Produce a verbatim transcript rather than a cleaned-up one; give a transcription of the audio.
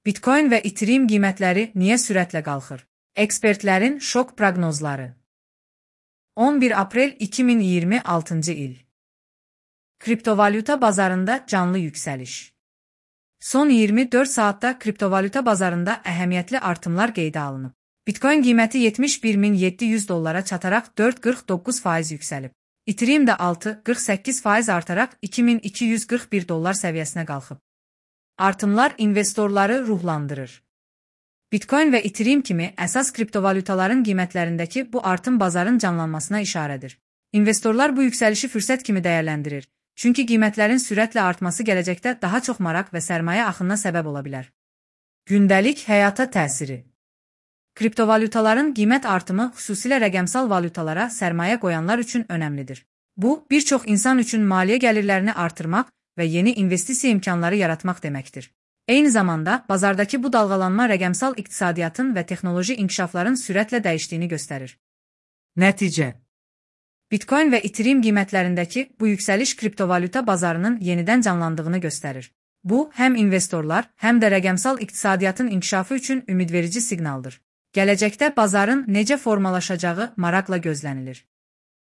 Bitcoin və Ethereum qiymətləri niyə sürətlə qalxır? Ekspertlərin şok proqnozları. on bir aprel iki min iyirmi altıncı il. Kriptovalyuta bazarında canlı yüksəliş. Son iyirmi dörd saatda kriptovalyuta bazarında əhəmiyyətli artımlar qeydə alınıb. Bitcoin qiyməti yetmiş bir min yeddi yüz dollara çataraq dörd nöqtə qırx doqquz faiz yüksəlib. Ethereum də altı nöqtə qırx səkkiz faiz artaraq iki min iki yüz qırx bir dollar səviyyəsinə qalxıb. Artımlar investorları ruhlandırır. Bitcoin və Ethereum kimi əsas kriptovalyutaların qiymətlərindəki bu artım bazarın canlanmasına işarədir. İnvestorlar bu yüksəlişi fürsət kimi dəyərləndirir, çünki qiymətlərin sürətlə artması gələcəkdə daha çox maraq və sərmayə axınına səbəb ola bilər. Gündəlik həyata təsiri. Kriptovalyutaların qiymət artımı xüsusilə rəqəmsal valyutalara sərmayə qoyanlar üçün önəmlidir. Bu, bir çox insan üçün maliyyə gəlirlərini artırmaq və yeni investisiya imkanları yaratmaq deməkdir. Eyni zamanda, bazardakı bu dalğalanma rəqəmsal iqtisadiyyatın və texnoloji inkişafların sürətlə dəyişdiyini göstərir. Nəticə. Bitcoin və Ethereum qiymətlərindəki bu yüksəliş kriptovalyuta bazarının yenidən canlandığını göstərir. Bu, həm investorlar, həm də rəqəmsal iqtisadiyyatın inkişafı üçün ümidverici siqnaldır. Gələcəkdə bazarın necə formalaşacağı maraqla gözlənilir.